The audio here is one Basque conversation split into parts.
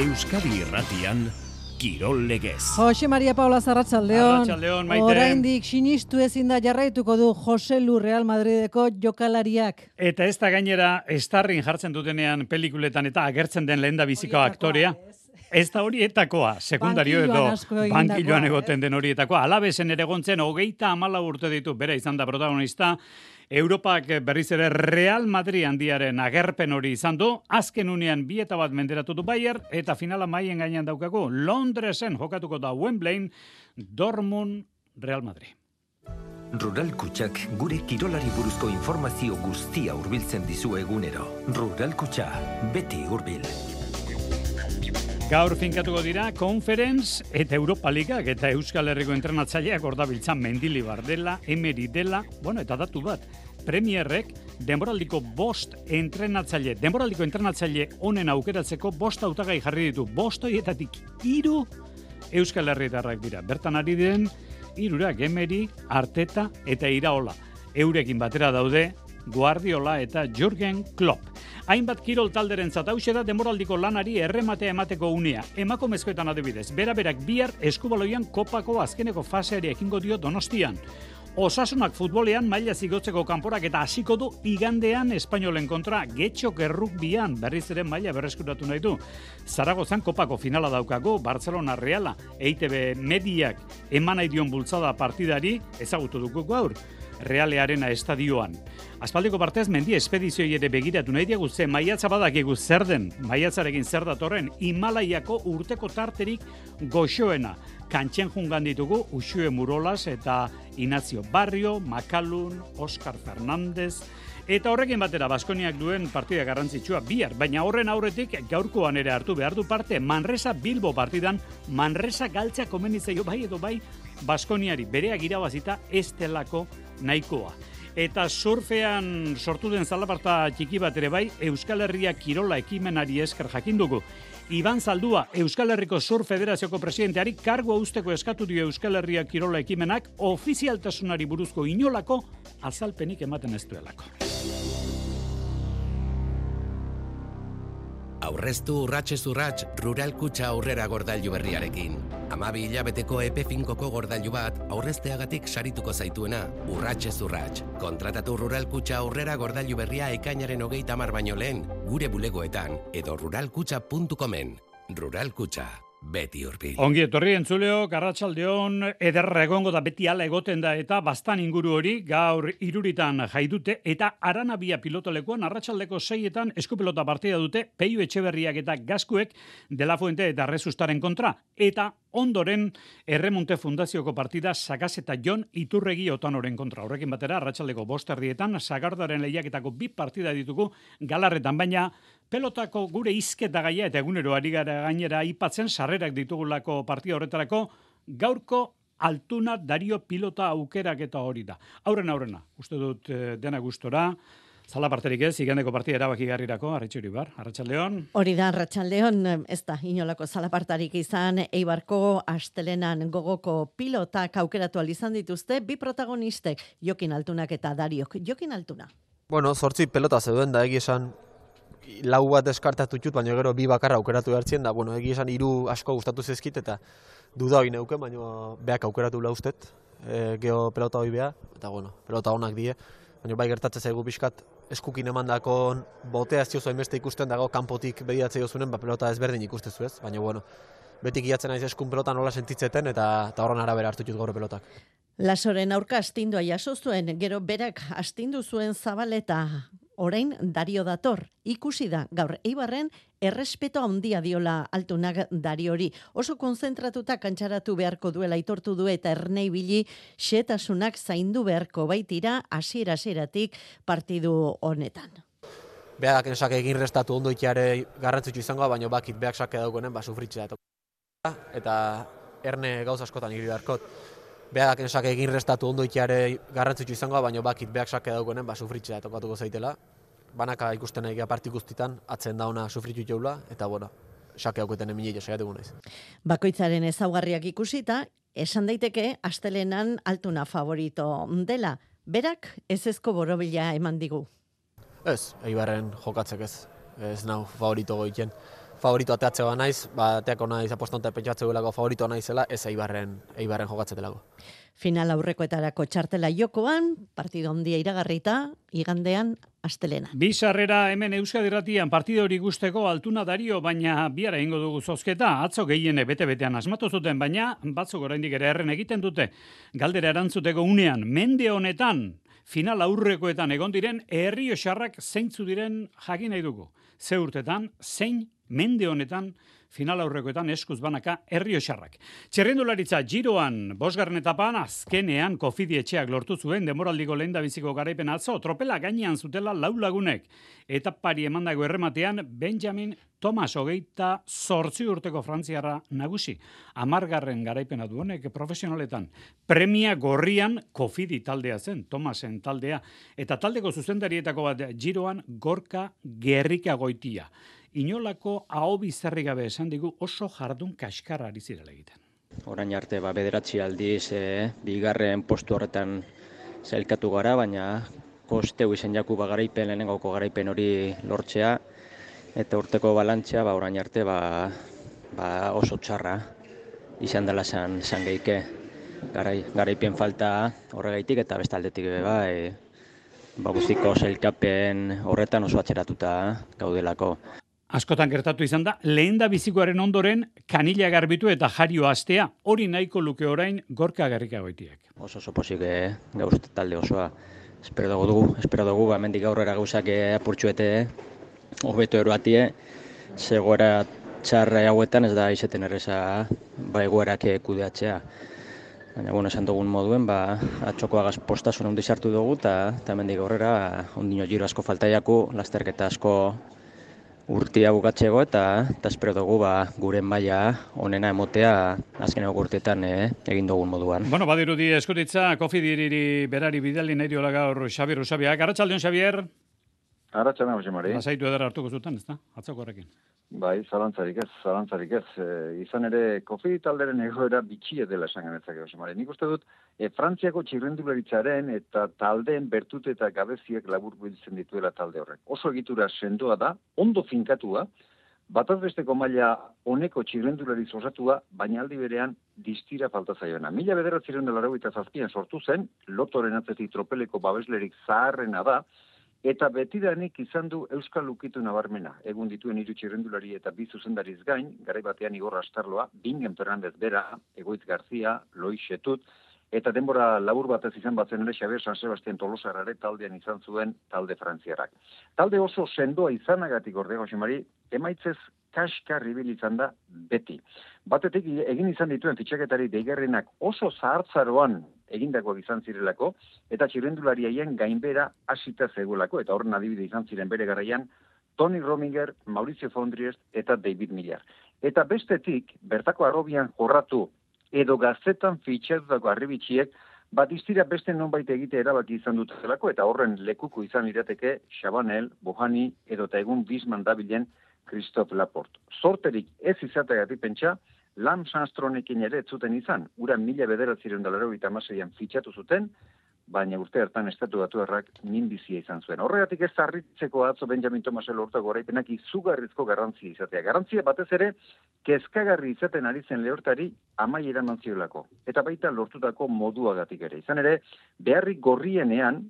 Euskadi Irratian Kirol Legez. Jose Maria Paula Arratsaldeon. Arratsaldeon, Maite. Oraindik sinistu ezin da jarraituko du Jose Lu Real Madrideko jokalariak. Eta ez da gainera estarrin jartzen dutenean pelikuletan eta agertzen den lehendabiziko aktorea. Ez da horietakoa, sekundario edo bankiloan egoten den horietakoa. Alabesen ere gontzen 34 urte ditu, bera izan da protagonista. Europak berriz ere Real Madrid handiaren agerpen hori izan du, azken unean 2-1 menderatu du Bayern, eta finala maien gainean daukagu, Londresen jokatuko da Wembleyn, Dortmund, Real Madrid. Rural Kutxak gure kirolari buruzko informazio guztia hurbiltzen dizu egunero. Rural Kutxa, beti hurbil. Gaur finkatuko dira, Conference eta Europa Ligak eta Euskal Herriko entrenatzaileak ordabiltzan Mendilibar dela, Emery dela, eta datu bat, Premierrek denboraldiko 5 entrenatzaile honen aukeratzeko 5 hautagai jarri ditu. 5 horietatik 3 Euskal Herritarrak dira. Bertan ari diren 3 Emery, Arteta eta Iraola. Eurekin batera daude Guardiola eta Jürgen Klopp. Hainbat kirol talderentzat hauxe da denboraldiko lanari errematea emateko unea. Emakumezkoetan adibidez, berak bihar eskubaloian kopako azkeneko faseari ekingo dio Donostian. Osasunak futbolean maila zigotzeko kanporak eta hasiko du igandean Espainolen kontra Getxok errukbian berriz ere maila berreskuratu nahi du. Zaragozan kopako finala daukago Barcelona Reala, EITB mediak eman nahi dion bultzada partidari ezagutu dugu gaur. Realearena estadioan. Aspaldiko partez mendi espedizioi ere begiratu nahi diagu ze maiatza badakigu zer den, maiatzarekin zer datorren, Himalaiako urteko tarterik goxoena. Kantxen jungan ditugu Uxue Murolas eta Inazio Barrio, Makalun, Oscar Fernández, eta horrekin batera Baskoniak duen partida garrantzitsua bihar, baina horren aurretik gaurkoan ere hartu behar du parte Manresa Bilbo partidan, Manresa galtzea komenizaio bai edo bai Baskoniari bereak irabazita ez delako nahikoa. Eta surfean sortu den zalaparta txiki bat ere bai, Euskal Herria Kirola ekimenari esker jakin dugu. Iban Zaldua, Euskal Herriko Surf Federazioko presidenteari kargua usteko eskatu dio Euskal Herria Kirola ekimenak ofizialtasunari buruzko inolako azalpenik ematen ez duelako. Aurreztu urratsez urrats Rural Kutxa aurrera gordailu berriarekin. 12 hilabeteko epe finkoko gordailu bat aurrezteagatik sarituko zaituena, urratsez urrats. Kontratatu Rural Kutxa aurrera gordailu berria ekainaren 30 baino lehen, gure bulegoetan edo ruralkutxa.comen. Rural Kutxa, beti hurbil. Ongi etorri entzuleo, arratsaldeon ederra egongo da beti hala egoten da eta bastan inguru hori gaur 3 jaidute eta Aranabia pilotolekuan arratsaldeko 6 eskupelota partida dute Peio Etxeberriak eta Gaskuek De La Fuente eta Rezustaren kontra eta ondoren Erremonte Fundazioko partida Sagaz eta Jon Iturregi Otanoren kontra. Horrekin batera arratsaldeko 5:00 Sagardaren lehiaketako 2 partida ditugu Galarretan, baina pelotako gure hizketa gaia eta egunero ari gara gainera aipatzen sarrerak ditugulako partida horretarako gaurko Altuna Dario pilota aukerak eta hori da. Aurrena, uste dut dena gustora. Zalaparterik ez, igandeko partida erabakigarrirako, Arritxuri Bar, Arratsaldeon. Hori da, Arratsaldeon, ez da, inolako zalapartarik izan, Eibarko astelenan gogoko pilotak aukeratu izan dituzte, 2 protagonistek, Jokin Altunak eta Dariok. Jokin Altuna. 8 pelota zeuden da, esan 4 bat deskartatu txut, baina gero 2 bakarra aukeratu behartzen da, esan 3 asko gustatu zezkit, eta duda hori neuken, baina beak aukeratu laustet, geho pelota hori beha, eta pelota honak die, baina bai gertatzen zaigu pixkat, eskukin emandako botea ez diozu hainbeste ikusten dago kanpotik bediatzea jozunen, pelota ezberdin ikustezu ez, baina betik iatzen naiz eskun pelota nola sentitzeten eta horren arabera hartu dut gaur pelotak. Lasoren aurka astindua jaso zuen, gero berak astindu zuen Zabaleta, orain Dario dator, ikusi da gaur Eibarren errespeto handia diola Altunak Dariori. Oso konzentratuta kantxaratu beharko duela aitortu du eta ernei bili xetasunak zaindu beharko baitira hasiera-hasieratik partidu honetan. Beak esak egin restatu ondo itiare garrantzitsu izango, baina bakit beak sake daukonen sufritzea eta erne gauz askotan igri beharkot. Beak esak egin restatu ondo itiare garrantzitsu izango, baina bakit beak sake daukonen sufritzea tokatuko zaitela. Banaka ikusten egia parti guztitan, atzen dauna sufritu jaula, eta sake hauketen emile saiatuko naiz. Bakoitzaren ezaugarriak ikusita, esan daiteke astelenan Altuna favorito dela. Berak ezezko borobila eman digu. Ez, Eibarren jokatzek ez nau favorito goiten. favorito ateatzea naiz, ateako naiz apostonte pentsatze duelako favorito naizela, ez Eibarren jokatzetelako. Final aurrekoetarako txartela jokoan, partido handia iragarrita, igandean astelena. Bi sarrera hemen Euskadi Irratian partido hori gusteko Altuna Dario, baina bihar egingo dugu zozketa. Atzo gehiene bete-betean asmatu zuten, baina batzuk oraindik ere erren egiten dute. Galdera erantzuteko unean, mende honetan, final aurrekoetan egon diren Errioxarrak zeintzu diren jakin nahi dugu. Ze urtetan, zein mende honetan final aurrekoetan eskuz banaka Errioxarrak. Txerrendularitza Giroan, 5. etapan azkenean Kofidi etxeak lortu zuen denboraldiko lehendabiziko garaipen atzo, tropela gainean zutela 4 lagunek. Etapari emandago errematean Benjamin Thomas 28 urteko frantziarra nagusi. 10. garaipena du honek profesionaletan. Premia gorrian Kofidi taldea zen, Thomasen taldea. Eta taldeko zuzendarietako bat Giroan Gorka Gerrikagoitia. Inolako ahobizarri gabe esan digu oso jardun kaskarra ari zirela egiten. Orain arte bederatzi aldiz bigarren postu horretan zailkatu gara, baina kosteu izan jaku garaipen, lehenengoko garaipen hori lortzea, eta urteko balantzea orain arte oso txarra izan dela zan geike. Garaipen falta horregaitik eta bestaldetik guztiko zailkapen horretan oso atxeratuta gaudelako. Askotan gertatu izan da, lehendabizikoaren ondoren kanila garbitu eta jario astea, hori nahiko luke orain Gorka Gerrikagoitiek. Oso pozik gauz talde osoa. Espero dugu, hemendik aurrera gauzak apurtxuete, hobeto eroatie, zegoera txarra hauetan ez da izeten erreza egoerak kudeatzea. Baina, esan dugun moduen, atxoko agaz postasun handi sartu dugu, eta hemendik aurrera ondino giro asko faltaiaku, lasterketa asko urtia bukatzeko eta espero dugu gure maila onena emotea azkeneko urteetan egin dugun moduan. Bueno, badirudi eskutitza Kofidiri berari bidali nahi diola gaur Xabier Usabiak. Arratsaldeon, Xabier. Arratsaldeon, Jose Mari. Lasaitu edera hartuko zuten, ezta? Atzoko horrekin. Bai, zalantzarik ez. Izan ere, Kofidi talderen egoera bitxia dela esan genetzake, Jose Mari. Nik uste dut, Frantziako txirrendularitzaren eta taldeen bertute eta gabeziak labur biltzen dituela talde horrek. Oso egitura sendoa da, ondo finkatua, batazbesteko maila honeko txirrendulariz osatua, baina aldi berean distira falta zaioena. 1987an sortu zen, Lotoren atzetik tropeleko babeslerik zaharrena da, eta betidanik izan du Euskal Ukitu nabarmena. Egun dituen 3 txirrendulari eta 2 zuzendariz gain, garai batean Igor Astarloa, Bingen Fernandez bera, Egoitz Garzia, Lois Xetut, eta denbora labur batez izan batzen ere Xabier San Sebastian Tolosarrare taldean izan zuen talde frantziarrak. Talde oso sendoa izanagatik ordea, Jose Mari, emaitzez kaskar ibil izan da beti. Batetik egin izan dituen fitxaketari deigarrenak oso zahartzaroan egindakoak izan zirelako, eta txirrendulariaien gainbera hasita zegoelako, eta horren adibide izan ziren bere garaian, Tony Rominger, Mauricio Fondriest eta David Millar. Eta bestetik, bertako arrobian jorratu edo gaztetan fitxatutako arribitxiek, distira beste nonbait egite erabaki izan dutelako, eta horren lekuko izan lirateke Chabanel, Bohani edo eta egun Bisman dabilen Christophe Laporte. Sorterik ez izateagatik pentsa, Lance Armstrongekin ere zuten izan, ura 1986an fitxatu zuten, baina urte hartan estatu batuarrak minbizia izan zuen. Horregatik ez harritzeko atzo Benjamin Thomasen lortutako garaipenak izugarrizko garrantzia izatea. Garrantzia batez ere, kezkagarri izaten ari zen lehortari amaiera eman ziolako. Eta baita lortutako moduagatik ere. Izan ere, beharrik gorrienean,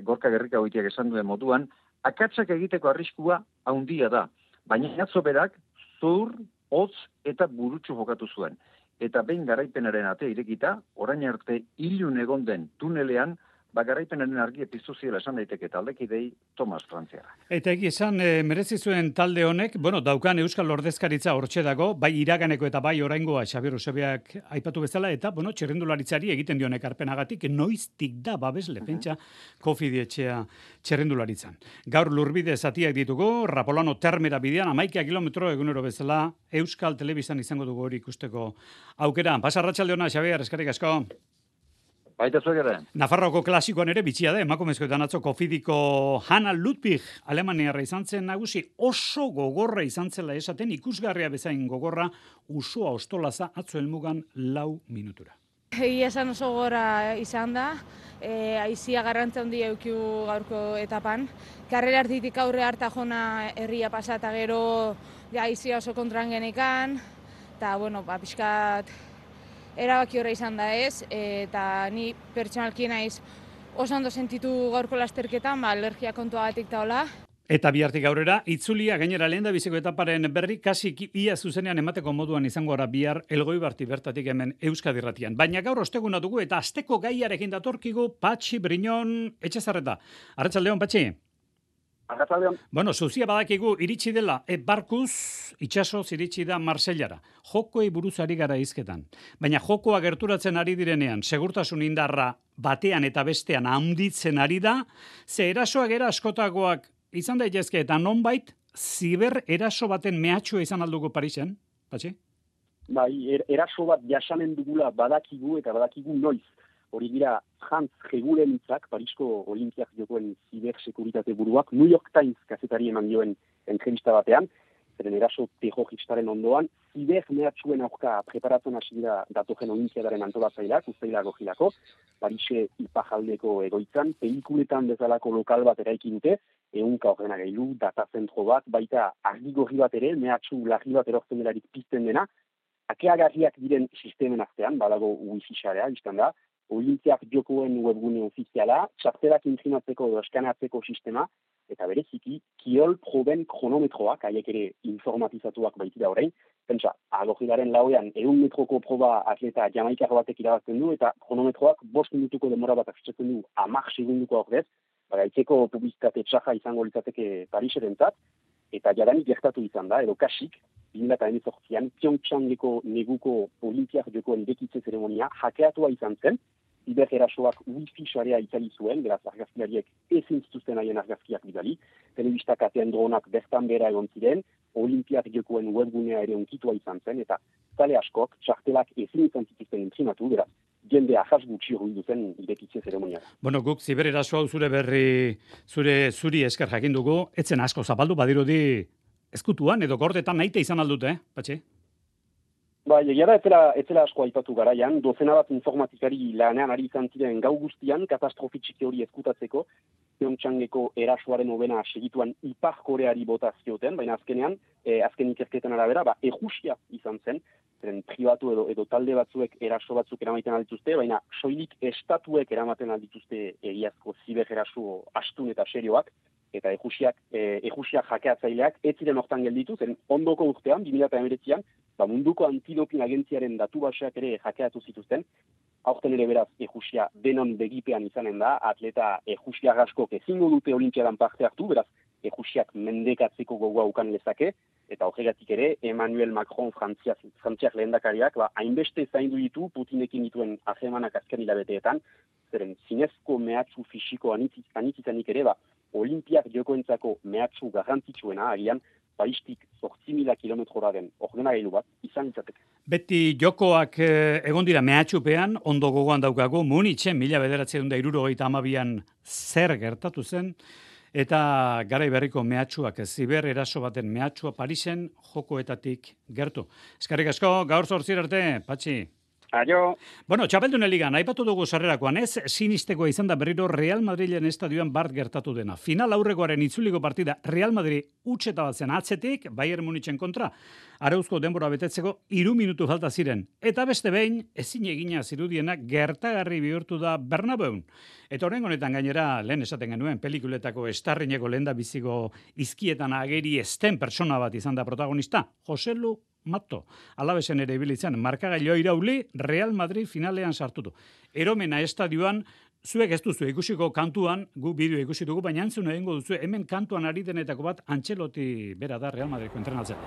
Gorka Gerrikagoitiak esan duen moduan, akatsak egiteko arriskua handia da. Baina atzo berak, zur, hotz eta burutsu jokatu zuen. Eta behin garaipenaren ate irekita, orain arte ilun egon den tunelean, garaipenaren argi piztu ziela esan daiteke taldekidei Thomas Frantziarra. Eta esan merezi zuen talde honek, daukan Euskal Ordezkaritza hortxe dago, bai iraganeko eta bai oraingoa Xabier Usabiak aipatu bezala, eta txerrendularitzari egiten dion ekarpenagatik noiztik da babesle pentsa Kofidi etxea txerrendularitzan. Gaur lurbide zatiak ditugu, Rapolano Termera bidean, 11 kilometro egunero bezala Euskal Telebistan izango dugu hori ikusteko aukera. Pasa arratsaldeona, Xabier, eskerrik asko. Baita zuek ere. Nafarroko klasikoan ere bitxia da, emakumezkoetan atzo Kofidiko Hanna Ludwig Alemaniarra izan zen nagusi, oso gogorra izan zela esaten, ikusgarria bezain gogorra, usua ostolaza atzo helmugan 4 minutura. Egia esan oso gora izan da, aizia garrantza handia eukiu gaurko etapan. Karrera artitik aurre harta jona herria pasata gero aizia oso kontran genekan, eta pixkat erabaki horra izan da ez, eta ni pertsonalki naiz oso ondo sentitu gaurko lasterketan, alergia kontuagatik taola. Eta bihartik aurrera, itzulia gainera lehen da biziko etaparen berri, kasi ia zuzenean emateko moduan izango gara bihar Elgoibarti bertatik hemen Euskadi Irratian. Baina gaur osteguna dugu eta asteko gaiarekin datorkigu Patxi Briñon Etxezarreta. Arratsaldeon, Patxi. Arratsaldeon. Bueno, zuzia badakigu iritsi dela, barkuz itsasoz iritsi da Marsellara. Jokoei buruz ari gara hizketan. Baina jokoa gerturatzen ari direnean, segurtasun indarra batean eta bestean handitzen ari da, ze erasoak era askotakoak izan daitezke eta nonbait ziber eraso baten mehatxua izan alduko Parisen, Patxi? Bai, eraso bat jasanen dugula badakigu eta badakigu noiz. Hori dira Hans Hegulen hitzak, Parisko Olimpiak jokoen zibersekuritate buruak, New York Times kazetari eman dioen entrevista batean, zeren eraso terroristaren ondoan, ziber mehatxuen aurka preparatzen hasi dira datojen olimpiadaren antolatzaileak, uztailako jilako, Parise ipajaldeko egoitzan, pelikuletan bezalako lokal bat eraiki dute, ehunka ordenagailu, datazentro bat, baita argigorri bat ere, mehatxu larri bat erortzen delarik pizten dena, akeagarriak diren sistemen artean, badago wifi sharea, izan da, Olimpiak jokoen webgune ofiziala, txartelak intrinatzeko edo eskanatzeko sistema, eta bereziki, kiol proben kronometroak, haiek ere informatizatuak baitira orain, pentsa, agogilaren lauean 100 metroko proba atleta jamaikar batek irabazten du, eta kronometroak 5 minutuko demora bat afitxatzen du 10 segunduko ordez, bagaitzeko publizitate txaja izango litzateke Pariserentzat, eta jadanik gertatu izan da, edo kasik, 2018an, Pyeongchangeko neguko Olimpiak jokoen bekitze zeremonia hakeatua izan zen, ziber erasoak wifi sharea itzali zuen, beraz argazkilariek ezin zituzten haien argazkiak bidali, telebista katean dronak bertan bera egon ziren, Olimpiak jokoen webgunea ere unkitua izan zen, eta zale askok txartelak ezin izan zituzten intrinatu, beraz, jende ahas gutxi ruidu zen irekitze zeremonia. Bueno, guk ziber eraso hau zure berri, zuri esker jakin dugu, etzen asko zapaldu badirudi ezkutuan edo gordetan naite izan aldute, Patxi? Bai, egia da etzela asko aipatu garaian, dozena bat informatikari lanean ari izan ziren gau guztian, katastrofi txiki hori ezkutatzeko, Pyeongchangeko erasoaren hobena segituan Ipar Koreari bota zioten, baina azkenean, azken ikerketen arabera, ejusia izan zen, zeren pribatu edo talde batzuek eraso batzuk eramaiten aldituzte, baina soilik estatuek eramaten aldituzte egiazko ziber eraso astun eta serioak, eta ejusiak jakeatzaileak ez ziren hortan gelditu, zen ondoko urtean, 2019an, munduko antidopin agentziaren datu baseak ere jakeatu zituzten, aurten ere beraz ejusia denon begipean izanen da, atleta ejusia askok ezingo dute olimpiadan parte hartu, beraz ejusiak mendekatzeko gogoa ukan lezake, eta horregatik ere Emmanuel Macron frantziak lehendakariak, hainbeste zaindu ditu Putinekin dituen ahemanak azken hilabeteetan, zeren zinezko mehatxu fisiko anitzizanik ere, Olimpiak jokoentzako mehatxu garrantzitsuena, agian, Paristik 8.000 kilometrora den ordenagailu bat izan itzateke. Beti jokoak egon dira mehatxupean, ondo gogoan daukagu, Munitzen 1972an zer gertatu zen, eta garai berriko mehatxuak, ziber eraso baten mehatxua Parisen jokoetatik gertu. Eskerrik asko, gaur 8 arte, Patxi. Aio. Bueno, Txapeldunen ligan, aipatu dugu sarrerakoan, ez sinisteko izan da berriro Real Madrilen estadioan bart gertatu dena. Final aurrekoaren itzuliko partida Real Madrid utxeta bat zen atzetik, Bayern Munitzen kontra, arauzko denbora betetzeko 3 minutu falta ziren. Eta beste behin, ezin egina zirudiena gertagarri bihurtu da Bernabeun. Eta horren honetan gainera, lehen esaten genuen, pelikuletako estarrineko lehen da biziko izkietan ageri esten persona bat izan da protagonista, Joselu Mato. Alabesen ere ibilitzen, markagailoa irauli, Real Madrid finalean sartutu. Eromena estadioan, zuek ez duzu ikusiko kantuan, gu bideo ikusi dugu, baina entzun egingo duzu, hemen kantuan ari denetako bat, Antxeloti bera da Real Madridko entrenatzen.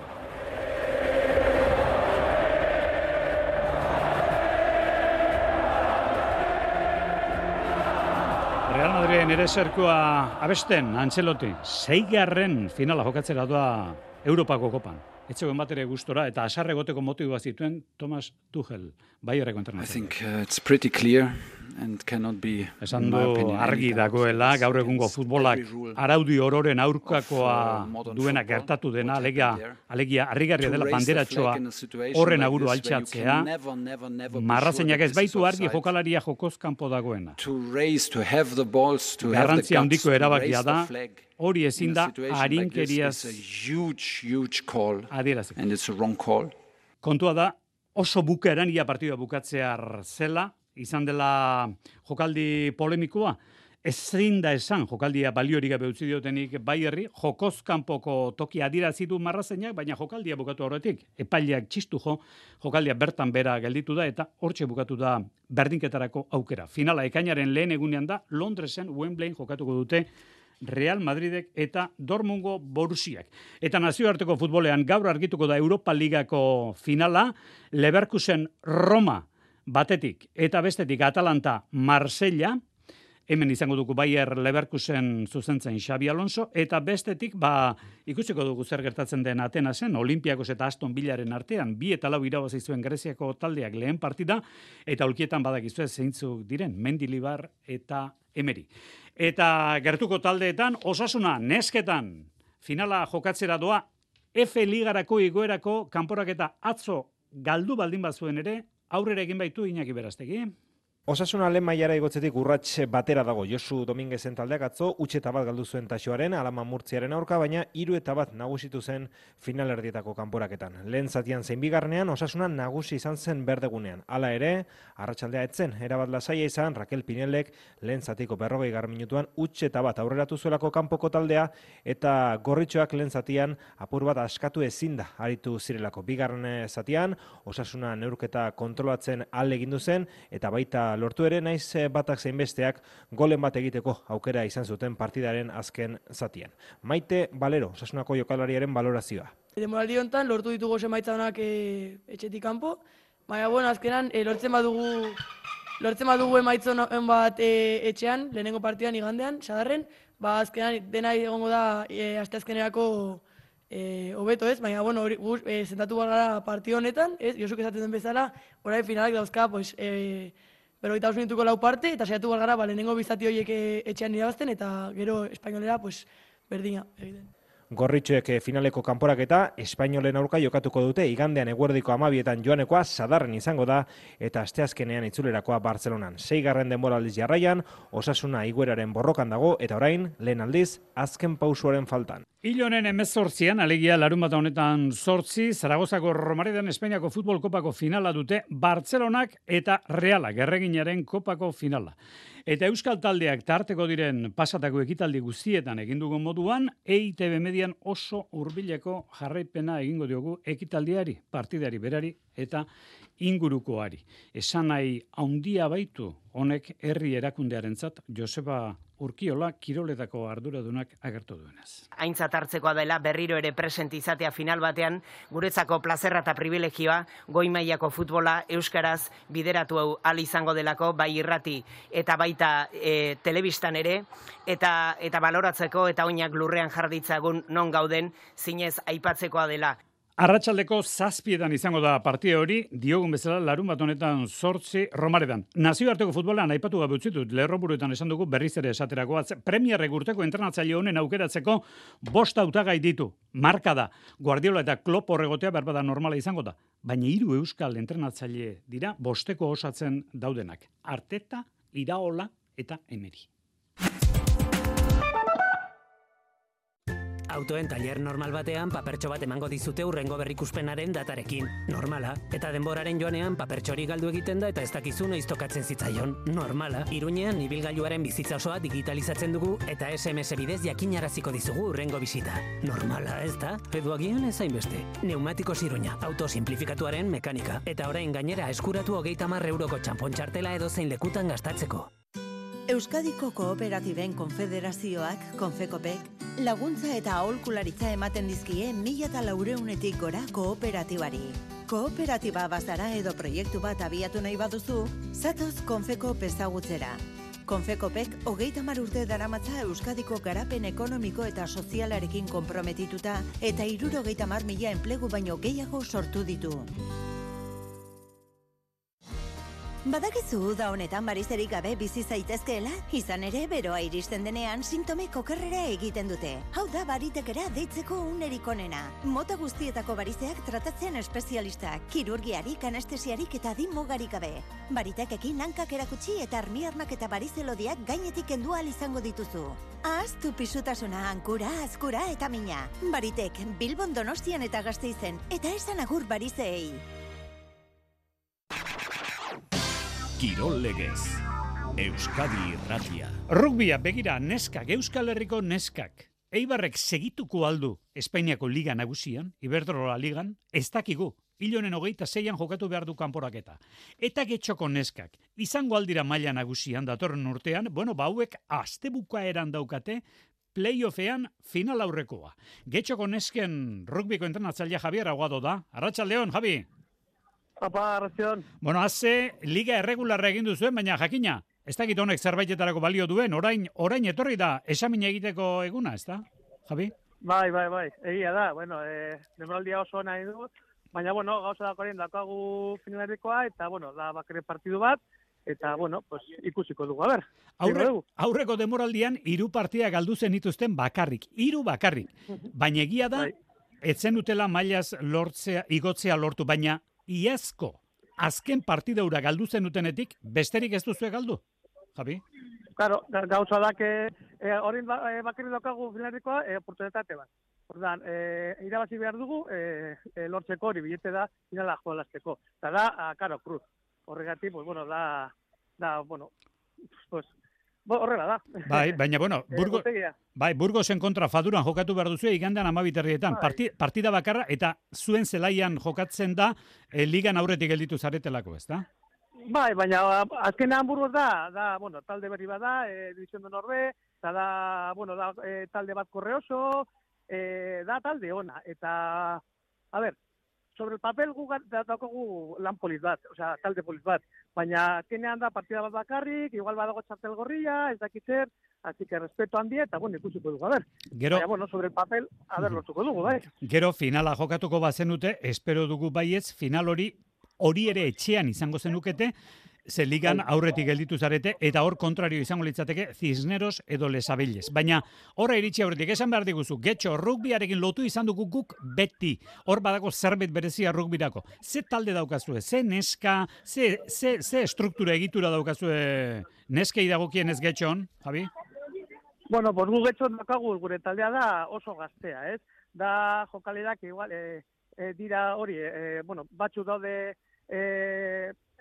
Real Madriden ere zerkoa abesten, Antxeloti, 6. finala jokatzera doa Europako kopan. etzegoen bat ere gustora, eta asarre goteko motiboa zituen Thomas Tuchel, Bayerneko entrenatzailea. I think it's pretty clear and cannot be, esan du argi dagoela, gaur egungo futbolak araudi ororen aurkakoa duena gertatu dena, alegia harrigarria dela banderatxoa horren aguru altxatzea, marrazeinak ez baitu argi jokalaria jokoz kanpo dagoena. Garrantzia handiko erabakia da, hori ezin da harinkeriaz adieraziko. Kontua da, oso bukaeran ia partidua bukatzear zela, izan dela jokaldi polemikoa, ezin da esan jokaldia baliorik gabe utzi diotenik Bayerri, jokoz kanpoko toki adierazi du marrazeinak, baina jokaldia bukatu horretik, epaileak txistu jokaldia bertan bera gelditu da, eta hortxe bukatu da berdinketarako aukera. Finala ekainaren lehen egunean da, Londresen Wembleyn jokatuko dute Real Madridek eta Dortmundgo Borussiak. Eta nazioarteko futbolean gaur argituko da Europa Ligako finala, Leverkusen Roma batetik eta bestetik Atalanta Marsella, hemen izango dugu Bayer Leverkusen zuzentzen Xabi Alonso, eta bestetik ikusiko dugu zer gertatzen den Atenasen, Olimpiakos eta Aston Villaren artean, 2-4 irabazi zuen Greziako taldeak lehen partida, eta aulkietan badakizue zeintzuk diren, Mendilibar eta Emery. Eta gertuko taldeetan, Osasuna nesketan finala jokatzera doa, F Ligarako igoerako kanporaketa atzo galdu baldin bazuen ere, aurrera egin baitu Iñaki Berastegi. Osasuna lehen mailara igotzetik urrats batera dago. Josu Dominguezen taldeak atzo, utxeta bat galdu zuen Taxoaren, Alaman Murtziaren aurka, baina 3-1 nagusitu zen finalerdietako kanporaketan. Lehen zatian zein bigarnean, Osasuna nagusi izan zen berdegunean. Hala ere, arratsaldea etzen, erabat lasaia izan, Raquel Pinellek lehen zatiko 40 minutuan utxeta bat aurreratu zuelako kanpoko taldea, eta gorritxoak lehen zatian apur bat askatu ezin da aritu zirelako. Bigarren zatian, Osasuna neurketa kontrolatzen alde egin zen, eta baita lortu ere naiz batak zein besteak golen bat egiteko aukera izan zuten partidaren azken zatian. Maite Balero, Osasunako jokalariaren balorazioa. Denboraldi honetan lortu ditugu emaitza onak etxetik kanpo, baina azkenan lortzen badugu emaitza on bat etxean, lehenengo partidan igandean, sadarren, azkenan dena egongo da asteazkenerako hobeto ez, baina zentatu gara partio honetan, Josuk esaten den bezala, orain finalak dauzka, 45 minutuko 4 parte, eta saiatu gara lehenengo bizati horiek etxean irabazten, eta gero espainolera berdina egiten. Gorritxoek finaleko kanporaketa Espainolen aurka jokatuko dute, igandean eguerdiko 12etan joanekoa Sadarren izango da, eta asteazkenean itzulerakoa Bartzelonan. 6. denboraldiz jarraian, Osasuna igueraren borrokan dago, eta orain, lehen aldiz, azken pausuaren faltan. Ilonen 18an, alegia larunbata honetan 8, Zaragozako Romaredan Espainiako Futbol Kopako finala dute, Bartzelonak eta Realak, erreginaren Kopako finala. Eta Euskal Taldeak tarteko diren pasatako ekitaldi guztietan egin dugun moduan, EITB Median oso hurbileko jarraipena egingo diogu ekitaldiari, partidari berari eta ingurukoari. Esan nahi handia baitu honek herri erakundearentzat Joseba Urkiola kiroletako arduradunak agertu duenez. Aintzat hartzekoa dela berriro ere present izatea final batean, guretzako plazerra eta privilegioa goi mailako futbola euskaraz bideratu ahal izango delako, bai irrati eta baita telebistan ere, eta baloratzeko eta oinak lurrean jarditzagun non gauden zinez aipatzekoa dela. Arratsaldeko 7 izango da partida hori, diogun bezala larunbat honetan 8 Romaredan. Nazioarteko futbolan aipatu gabe utzitut, lerroburuetan esan dugu berriz ere esaterakoa. Premierrek urteko entrenatzaile honen aukeratzeko 5 hautagai ditu. Marka da, Guardiola eta Klopp horregotea berbada normala izango da. Baina 3 euskal entrenatzaile dira 5 osatzen daudenak. Arteta, Iraola eta Emery. Autoen tailer normal batean papertxo bat emango dizute hurrengo berrikuspenaren datarekin. Normala. Eta denboraren joanean papertxori galdu egiten da eta ez dakizu noiz tokatzen zitzaion. Normala. Iruñean ibilgailuaren bizitza osoa digitalizatzen dugu eta SMS bidez jakinaraziko dizugu hurrengo bisita. Normala, ez da? Edo agian ez hainbeste. Neumatikos Iruña, auto simplifikatuaren mekanika. Eta orain gainera eskuratu 30 euroko txanpon txartela edo zein lekutan gastatzeko. Euskadiko Kooperatiben Konfederazioak, Konfekopek, laguntza eta aholkularitza ematen dizkie 1.400-etik gora kooperatibari. Kooperatiba bazara edo proiektu bat abiatu nahi baduzu, zatoz Konfekop ezagutzera. Konfekopek 30 urte daramatza Euskadiko garapen ekonomiko eta sozialarekin konprometituta eta 70.000 enplegu baino gehiago sortu ditu. Badakizu da honetan barizerik gabe bizi zaitezkeela, izan ere beroa iristen denean sintomek okerrera egiten dute. Hau da baritekera deitzeko unerik onena. Mota guztietako barizeak tratatzen espezialistak, kirurgiarik, anestesiarik eta adin mugarik gabe. Baritekekin hankak erakutsi eta armiarnak eta barizelodiak gainetik kendu ahal izango dituzu. Ahaztu pisutasuna, hankura, azkura eta mina. Baritek, Bilbon, Donostian eta Gasteizen, eta esan agur barizeei. Kirol Legez, Euskadi Irratia. Rugbia, begira, neskak, Euskal Herriko neskak. Eibarrek segituko aldu Espainiako Liga nagusian, Iberdrola Ligan, ez dakigu. Ilonen 26an jokatu behar du kanporaketa. Eta Getxoko neskak, izango aldira maila nagusian datorren urtean, hauek astebukaeran daukate, playoffean final aurrekoa. Getxoko nesken rugbiko entrenatzailea Javier Aguado da. Arratsaldeon, Javi. Apa, arratsaldeon. Haze liga erregularra egin duzuen, baina jakina, ez dakit honek zerbaitetarako balio duen, orain etorri da esamina egiteko eguna, ez da, Javi? Bai, egia da, denboraldia oso ona egin dut, baina, gauza dakoaren daukagu finalerikoa, eta, da bakarrik partidu bat, eta, ikusiko dugu, a ber. Aurreko demoraldian 3 partida galdu zenituzten bakarrik, 3 bakarrik, baina egia da, etzen dutela mailaz igotzea lortu, baina iazko, azken partidaura galdu zenutenetik, besterik ez duzue galdu, Javi? Claro, gauza da, horien bakarri daukagu finalerikoa, oportunitate bat. Ordan, irabazi behar dugu, lortzeko hori bilete da, finala joalazteko. Eta da, cruz. Horregatik, horrela da. Bai, baina, Burgosen kontra Faduran jokatu behar duzu, igandean 12:00 partida bakarra, eta zuen zelaian jokatzen da, ligan aurretik gelditu zaretelako, ez da? Bai, baina azkenean Burgos da, talde berri bat da, División de Norbe, eta da, talde bat korreoso, da talde ona, eta, a ber, sobre el papel daukagu lan polit bat, osea, talde polit bat, baina azkenean da partida bat bakarrik, igual badago txartel gorria, ez dakitzer, así que respeto handia, eta ikusiko dugu, a ber. Baina, sobre el papel, lortuko dugu, bai. Gero finala jokatuko bazenute, espero dugu baietz, final hori ere etxean izango zenukete, ze ligan aurretik gelditu zarete, eta hor kontrario izango litzateke Cisneros edo Lesabelles. Baina, horra iritsi aurretik, esan behar diguzu, Getxo, rugbiarekin lotu izan dugu guk beti. Hor badako zerbait berezia rugbirako. Ze talde daukazue, ze neska, ze struktura egitura daukazue neskei dagokien ez Getxon, Javi? Gu Getxon daukagu gure taldea da oso gaztea, ez? Da jokalerak igual, dira hori, batzu daude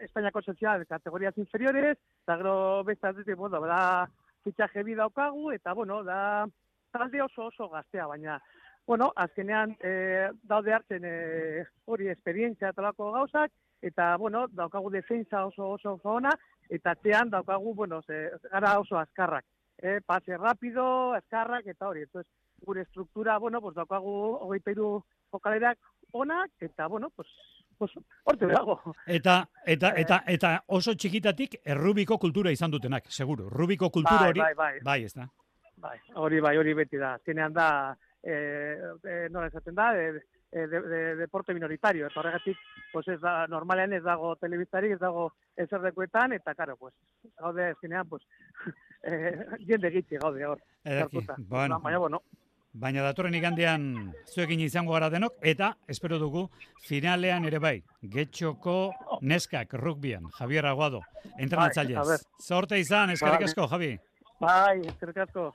Espainiako sozial kategorias inferiores, eta gero beste atletik, da fitxaje bi daukagu, eta, da talde oso gaztea, baina, azkenean daude hartzen hori esperientzia talako gauzak, eta, daukagu defensa oso ona, eta atzean daukagu, gara oso azkarrak, pase rápido, azkarrak, eta hori, entonces, gure struktura, daukagu 23 jokalerak onak, eta, horte dago. Eta oso txikitatik errubiko kultura izan dutenak, seguro. Rubiko kultura hori, bai, ez da? Bai, hori beti da. Zinean da, nola esaten da, deporte minoritario. Eta horregatik, normalean ez dago telebistarik, ez dago ezerdekuetan, eta, gaude, zinean, jende gitzi gaude hor. Baina datorren igandean zuekin izango gara denok, eta espero dugu finalean ere bai, Getxoko neskak rugbian, Javier Aguado, entrenatzailez. Zorte izan, eskerrik asko, Javi. Bai, eskerrik asko.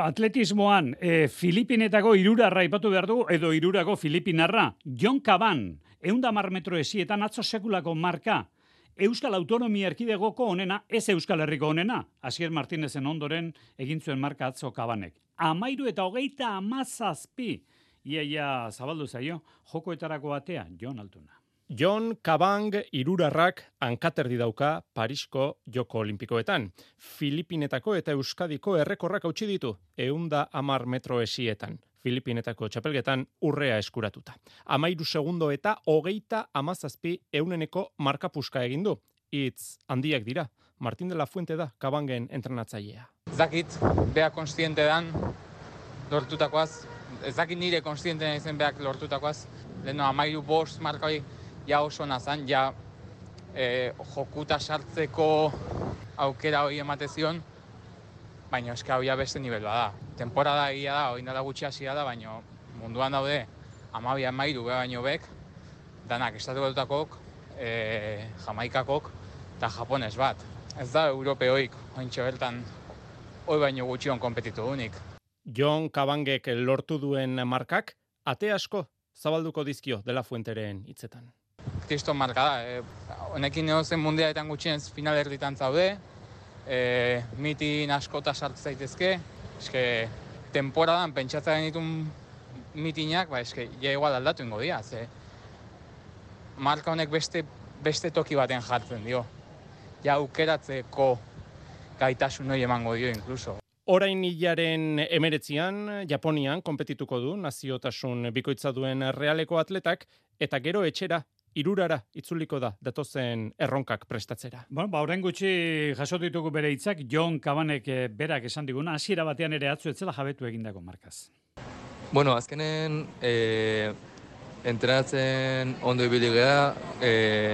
Atletismoan, Filipinetako irurarra ipatu behar dugu, edo irurako Filipinarra, Jon Kaban, 110 metro esietan atzo sekulako marka, Euskal Autonomia Erkidegoko onena, ez Euskal Herriko onena, Asier Martinezen ondoren egin zuen marka atzo Kabanek. 13:37, iaia zabaldu zaio, jokoetarako atea, Jon Altuna. Jon Kabang irurarrak hankaterdi dauka Parisko Joko Olimpikoetan. Filipinetako eta Euskadiko errekorrak hautsi ditu, 110 metro esietan. Filipinetako txapelgetan urrea eskuratuta. 13 segundo eta 30:17 markapuska egin du. Hitz handiak dira, Martin de la Fuente da Kabangen entrenatzailea. Zakit, beha konstiente dan lortutakoaz, ez dakit nire konstiente naizen beak lortutakoaz, leheno 13-5 markoi ja oso nazan, ja jokuta sartzeko aukera hori emate zion, baina eska hori beste nivel bada. Temporada egia da, hori nada gutxi hasia da, baina munduan daude 12-13 baino bek, danak estatu batutakok, Jamaikakok eta Japones bat. Ez da europeoik, ointxo bertan, hoi baino gutxion kompetitu unik. Jon Kabangek lortu duen markak, ate asko zabalduko dizkio de la Fuenteren hitzetan. Kriston marka da, honekin neozen mundialetan gutxienez final erditan zaude, mitin askota sartu zaitezke, eske temporadan pentsatzen ditun mitinak, eske ja igual aldatu ingo dira, ze marka honek beste toki baten jartzen dio. Ja aukeratzeko gaitasun hori emango dio inkluso. Orain hilaren 19an Japonian konpetituko du naziotasun bikoitza duen Realeko atletak eta gero etxera irurara itzuliko da datozen erronkak prestatzera. Orain gutxi jaso ditugu bere hitzak Jon Kabanek berak esan diguna, hasiera batean ere atzu etzela jabetu egindako markaz. Bueno, azkenen entrenatzen ondo ibili gea,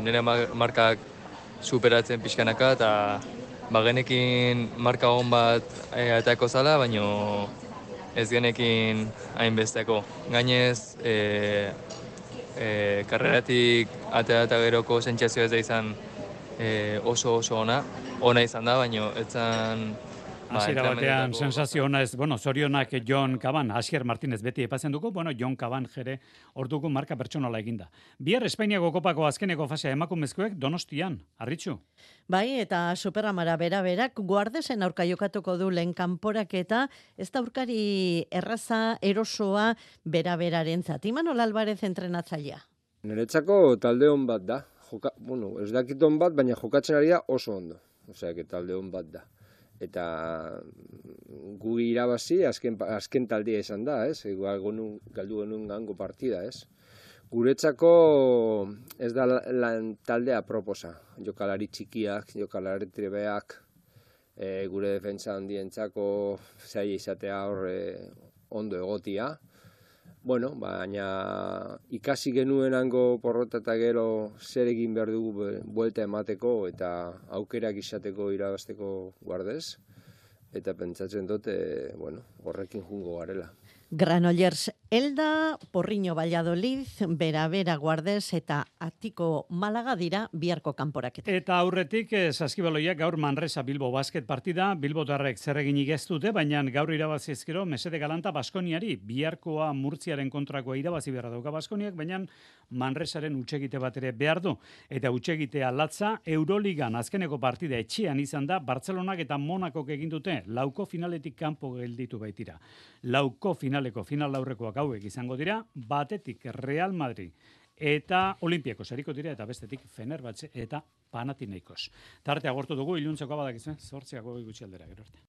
nire markak superatzen pixkanaka eta genekin marka hon bat atako zala, baino ez genekin hainbesteko. Gainez, karreratik atea eta geroko sentsazio ez da izan oso ona izan da, baino etzan... Hasiera batean sensazio ona ez, zorionak Jon Kaban, Asier Martinez beti epatzen dugu, Jon Kaban jere orduko marka pertsonala eginda. Bihar Espainiako kopako azkeneko fasea emakumezkoek Donostian, Arritxu. Bai, eta Superamara bera-berak Guardesen aurka jokatuko du lehen kanporaketa, ez da aurkari erraza, erosoa, bera-berarentzat. Imanol Alvarez entrenatzailea. Niretzako talde on bat da. Ez dakit on bat, baina jokatzen ari da oso ondo. Osea, talde on bat da. Eta gu irabazi azken taldia izan da, ez? Galdu genuen gango partida, ez? Guretzako ez da taldea proposa. Jokalari txikiak, jokalari trebeak, gure defentsa handientzako zaila izatea ondo egotia. Baina ikasi genuenango porrota eta gero zer egin behar dugu buelta emateko eta aukerak izateko irabazteko Guardez. Eta pentsatzen dute, horrekin jungo garela. Granollers Elda, Porriño Valladolid, Bera Guardez eta Atiko Malaga dira biharko kanporaketa. Eta aurretik Saskibaloiak gaur Manresa Bilbo basket partida, Bilbotarrek zer eginik ez dute, baina gaur irabazi ezkero mesede galanta Baskoniari, biharkoa Murtziaren kontrakoa irabazi beharra dauka Baskoniak, baina Manresaren hutsegite bat ere behar du. Eta hutsegitea latza Euroligan azkeneko partida etxean izan da, Bartzelonak eta Monakok egin dute, lauko finaletik kanpo gelditu baitira. Lauko finaleko final laurrekoak hauek izango dira, batetik Real Madrid eta Olimpiakos hariko dira, eta bestetik Fenerbahce eta Panathinaikos. Tarte agortu dugu, iluntzeko badakizu, 8 gutxi aldera, gero arte.